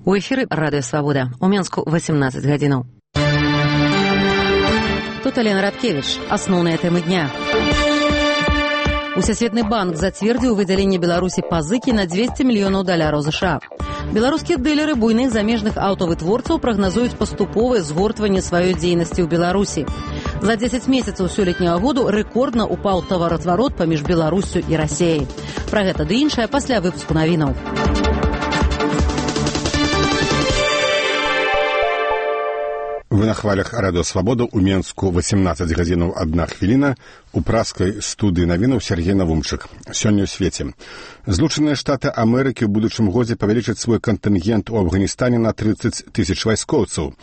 У эфіры радыё Свабода. У Менску 18 гадзінаў. Тут Алена Радкевіч. Асноўныя тэмы дня. Усесветны банк зацвердзіў выдзяленне Беларусі пазыкі на $200 мільёнаў США. Беларускія дылеры буйных замежных аўтавытворцаў прагназуюць паступовае згортванне сваёй дзейнасці ў Беларусі. За 10 месяцаў сёлетняга году рэкордна упаў таваразварот паміж Беларуссю і Расіяй. Пра гэта ды іншае пасля выпуску навінаў. Вы на хвалях радыё Свабода. У Менску 18 гадзінаў 1 хвіліна. У праскай студыі навінаў Сергей Навумчык. Сёння ў свеце. Злучаныя Штаты Амерыкі ў будучым годзе павялічаць свой кантынгент у Афганістане на 30 тысяч вайскоўцаў.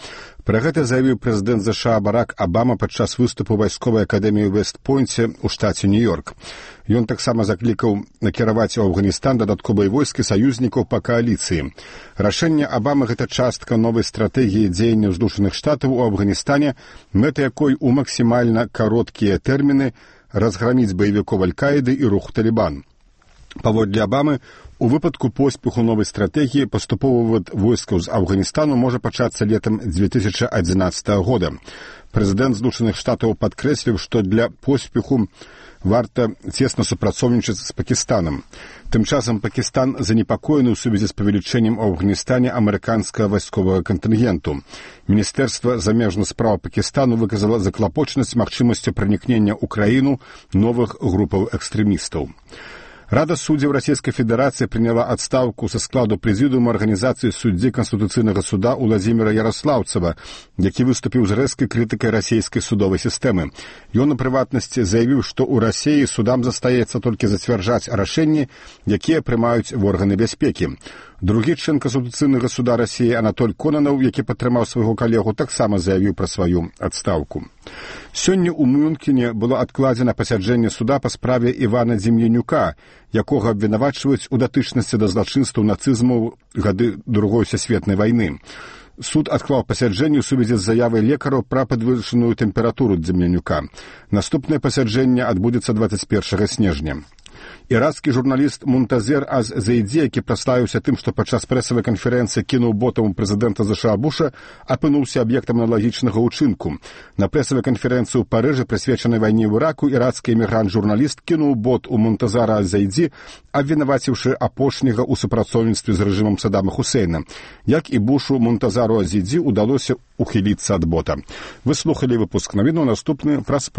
Пра гэта заявіў прэзідэнт США Барак Абама падчас выступу вайсковай акадэміі ў Вест-Пойнце ў штаце Нью-Йорк. Ён таксама заклікаў накіраваць у Афганістан дадатковыя войскі саюзнікаў па кааліцыі. Рашэнне Абамы — гэта частка новай стратэгіі дзеянняў Злучаных Штатаў у Афганістане, мэта якой у максімальна кароткія тэрміны разграміць баевікоў Аль-Каіды і руху Талібан. Паводле Абамы, у выпадку поспеху новай стратэгіі паступовы вывод войскаў з Афганістану можа пачацца летам 2011 года. Прэзідэнт Злучаных Штатаў падкрэсліў, што для поспеху варта цесна супрацоўнічаць з Пакістанам. Тым часам Пакістан занепакоены ў сувязі з павелічэннем у Афганістане амерыканскага вайсковага кантынгенту. Міністэрства замежных спраў Пакістану выказала заклапочанасць магчымасцю пранікнення ў краіну новых групаў экстрэмістаў. Рада суддзяў Расійскай Федэрацыі прыняла адстаўку са складу прэзідыума арганізацыі суддзі Канстытуцыйнага суда Уладзіміра Яраслаўцева, які выступіў з рэзкай крытыкай расійскай судовай сістэмы. Ён, у прыватнасці, заявіў, што ў Расіі судам застаецца толькі зацвярджаць рашэнні, якія прымаюць органы бяспекі. Другі член Канстытуцыйнага суда Расіі Анатоль Конанаў, які падтрымаў свайго калегу, таксама заявіў пра сваю адстаўку. Сёння ў Мюнхене было адкладзена пасяджэнне суда па справе Івана Дзем'янюка, якога абвінавачваюць у датычнасці да злачынстваў нацызму гады Другой сусветнай вайны. Суд адклаў пасяджэнне ў сувязі з заявай лекараў пра падвышаную тэмпературу Дзем'янюка. Наступнае пасяджэнне адбудзецца 21 снежня. Ірацкі журналіст Мунтазер аз-Зайдзі, які праславіўся тым, што падчас прэсавай канферэнцыі кінуў ботам прэзідэнта США Буша, апынуўся аб'ектам аналагічнага ўчынку. На прэсавай канферэнцыі ў Парыжы, прысвечанай вайне ў Іраку, ірацкі эмігрант-журналіст кінуў бот у Мунтазара аз-Зайдзі, абвінаваціўшы апошняга ў супрацоўніцтве з рэжымам Саддама Хусейна. Як і Бушу, Мунтазару аз-Зайдзі ўдалося ухіліцца ад бота. Вы слухалі выпуск навінаў, наступны праз